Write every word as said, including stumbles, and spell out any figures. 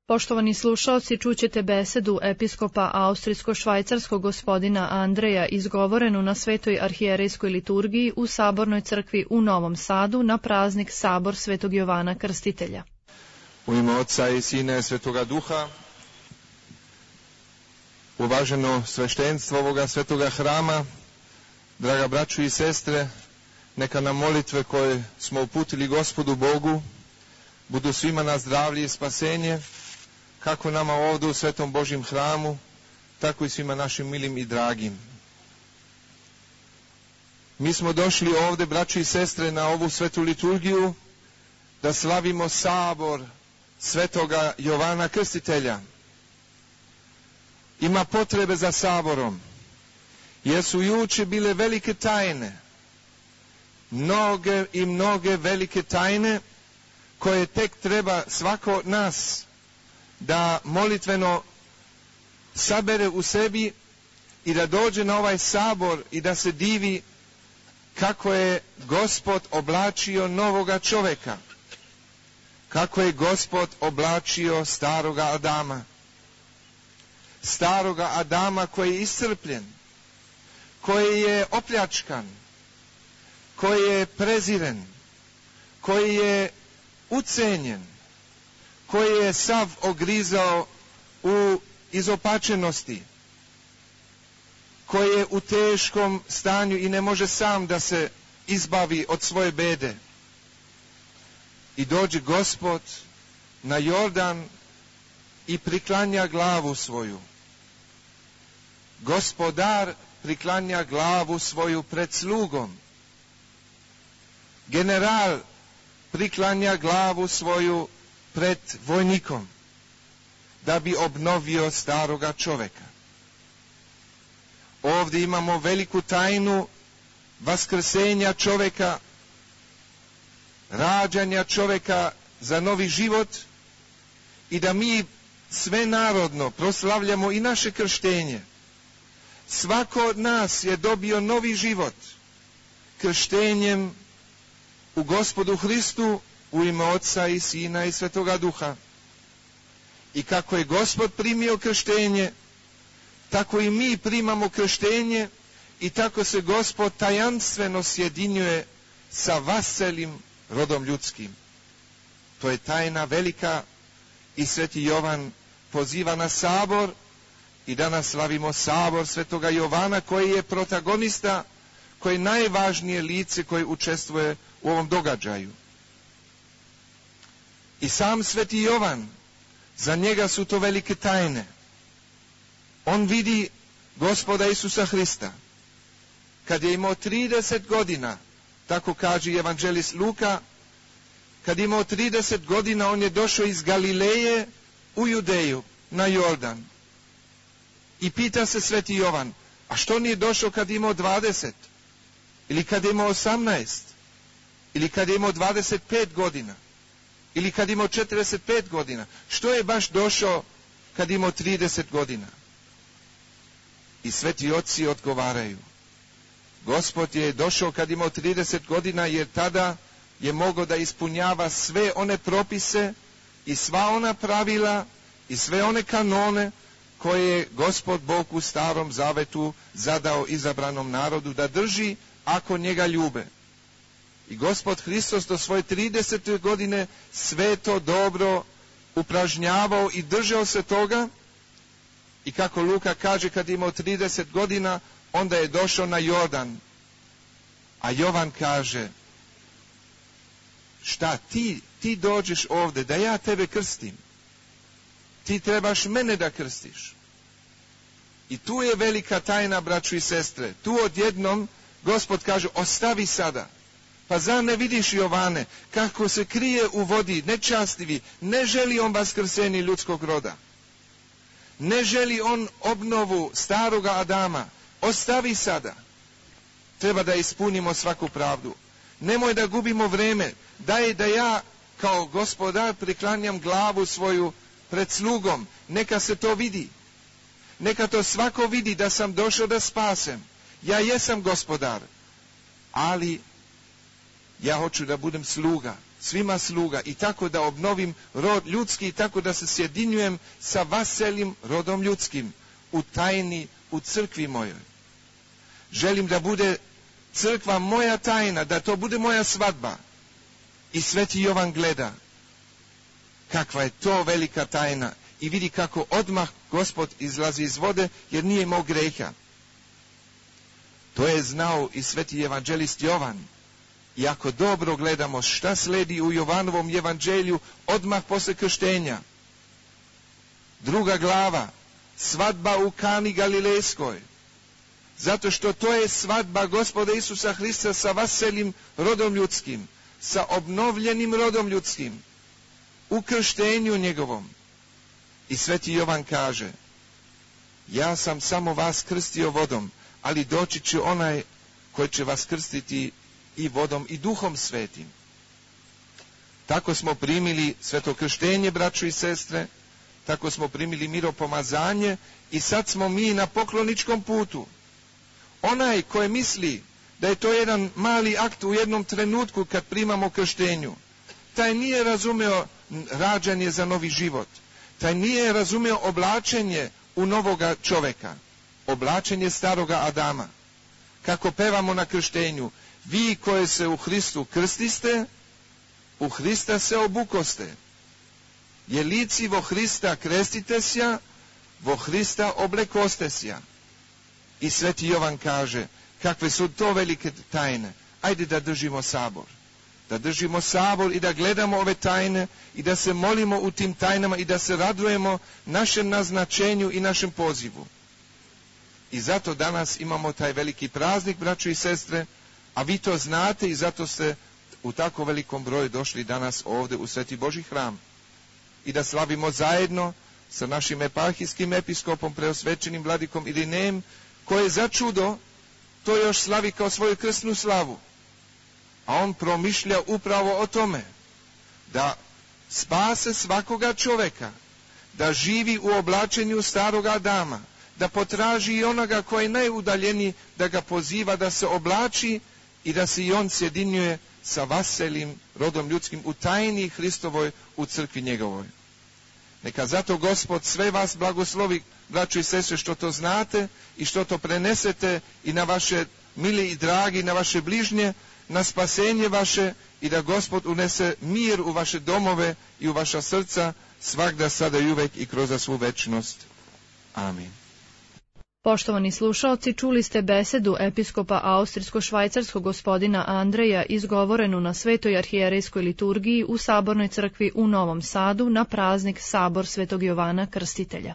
Poštovani slušaoci, čućete besedu episkopa austrijsko-švajcarskog gospodina Andreja izgovorenu na Svetoj arhijerejskoj liturgiji u Sabornoj crkvi u Novom Sadu na praznik Sabor Svetog Jovana Krstitelja. U ime Oca i Sina i Svetoga Duha, uvaženo sveštenstvo ovoga svetoga hrama, draga braćo i sestre, neka nam molitve koje smo uputili Gospodu Bogu budu svima na zdravlje i spasenje, kako nama ovdje u Svetom Božjem hramu, tako i svima našim milim i dragim. Mi smo došli ovdje, braćo i sestre, na ovu svetu liturgiju da slavimo sabor Svetoga Jovana Krstitelja. Ima potrebe za saborom, jer su juče bile velike tajne, mnoge i mnoge velike tajne koje tek treba svako od nas da molitveno sabere u sebi i da dođe na ovaj sabor i da se divi kako je Gospod oblačio novoga čovjeka, kako je Gospod oblačio staroga Adama. Staroga Adama koji je iscrpljen, koji je opljačkan, koji je preziren, koji je ucenjen, koji je sav ogrizao u izopačenosti, koji je u teškom stanju i ne može sam da se izbavi od svoje bede. I dođe Gospod na Jordan i priklanja glavu svoju. Gospodar priklanja glavu svoju pred slugom. General priklanja glavu svoju pred vojnikom, da bi obnovio staroga čovjeka. Ovdje imamo veliku tajnu vaskrsenja čovjeka, rađanja čovjeka za novi život i da mi sve narodno proslavljamo i naše krštenje. Svako od nas je dobio novi život krštenjem u Gospodu Hristu u ime Oca i Sina i Svetoga Duha. I kako je Gospod primio krštenje, tako i mi primamo krštenje i tako se Gospod tajanstveno sjedinjuje sa vaselim rodom ljudskim. To je tajna velika i Sveti Jovan poziva na sabor i danas slavimo sabor Svetoga Jovana koji je protagonista, koji je najvažnije lice koje učestvuje u ovom događaju. I sam Sveti Jovan, za njega su to velike tajne. On vidi Gospoda Isusa Hrista. Kad je imao trideset godina, tako kaže evanđelist Luka, kad je imao trideset godina, on je došao iz Galileje u Judeju, na Jordan. I pita se Sveti Jovan, a što nije došao kad je imao dvadeset? Ili kad je imao osamnaest? Ili kad je imao dvadeset pet godina? Ili kad je imao četrdeset pet godina? Što je baš došao kad je imao trideset godina? I sveti oci odgovaraju, Gospod je došao kad je imao trideset godina, jer tada je mogao da ispunjava sve one propise i sva ona pravila i sve one kanone koje je Gospod Bog u Starom Zavetu zadao izabranom narodu da drži ako njega ljube. I Gospod Hristos do svoje tridesete godine sve to dobro upražnjavao i držao se toga. I kako Luka kaže, kad je imao trideset godina, onda je došao na Jordan. A Jovan kaže, šta ti, ti dođeš ovdje da ja tebe krstim? Ti trebaš mene da krstiš. I tu je velika tajna, braćo i sestre. Tu odjednom Gospod kaže, ostavi sada. Pa zar ne vidiš, Jovane, kako se krije u vodi, nečastivi, ne želi on vaskrsenje ljudskog roda. Ne želi on obnovu staroga Adama. Ostavi sada. Treba da ispunimo svaku pravdu. Nemoj da gubimo vreme. Daj da ja kao gospodar priklanjam glavu svoju pred slugom. Neka se to vidi. Neka to svako vidi da sam došao da spasem. Ja jesam gospodar. Ali ja hoću da budem sluga. svima sluga i tako da obnovim rod ljudski i tako da se sjedinjujem sa vaselim rodom ljudskim u tajni, u crkvi mojoj. Želim da bude crkva moja tajna, da to bude moja svadba. I Sveti Jovan gleda kakva je to velika tajna i vidi kako odmah Gospod izlazi iz vode jer nije imao greha. To je znao i Sveti evanđelist Jovan. I ako dobro gledamo šta sledi u Jovanovom evanđelju odmah posle krštenja. Druga glava, svadba u Kani Galilejskoj. Zato što to je svadba Gospoda Isusa Hrista sa vaselim rodom ljudskim, sa obnovljenim rodom ljudskim, u krštenju njegovom. I Sveti Jovan kaže, ja sam samo vas krstio vodom, ali doći će onaj koji će vas krstiti i vodom i duhom svetim. Tako smo primili sveto krštenje, braćo i sestre, tako smo primili miropomazanje i sad smo mi na pokloničkom putu. Onaj koji misli da je to jedan mali akt u jednom trenutku kad primamo krštenju, taj nije razumeo rađanje za novi život, taj nije razumeo oblačenje u novoga čoveka, oblačenje staroga Adama. Kako pevamo na krštenju, vi koje se u Hristu krstiste, u Hrista se obukoste. Jelici vo Hrista krestite sja, vo Hrista oblekoste sja. I Sveti Jovan kaže, kakve su to velike tajne. Ajde da držimo sabor. Da držimo sabor i da gledamo ove tajne i da se molimo u tim tajnama i da se radujemo našem naznačenju i našem pozivu. I zato danas imamo taj veliki praznik, braćo i sestre, a vi to znate i zato ste u tako velikom broju došli danas ovdje u Sveti Božji hram. I da slavimo zajedno sa našim eparhijskim episkopom, preosvećenim vladikom Irinejem, koji za čudo to još slavi kao svoju krstnu slavu. A on promišlja upravo o tome, da spase svakoga čoveka, da živi u oblačenju staroga Adama, da potraži i onoga koji je najudaljeniji, da ga poziva da se oblači i da se i on sjedinjuje sa vaselim rodom ljudskim u tajni Hristovoj, u crkvi njegovoj. Neka zato Gospod sve vas blagoslovi, braćo i sestre, što to znate i što to prenesete i na vaše mili i dragi, na vaše bližnje, na spasenje vaše i da Gospod unese mir u vaše domove i u vaša srca svagda, sada i uvek i kroz svu večnost. Amin. Poštovani slušaoci, čuli ste besedu episkopa austrijsko-švajcarskog gospodina Andreja izgovorenu na Svetoj arhijerejskoj liturgiji u Sabornoj crkvi u Novom Sadu na praznik Sabor Svetog Jovana Krstitelja.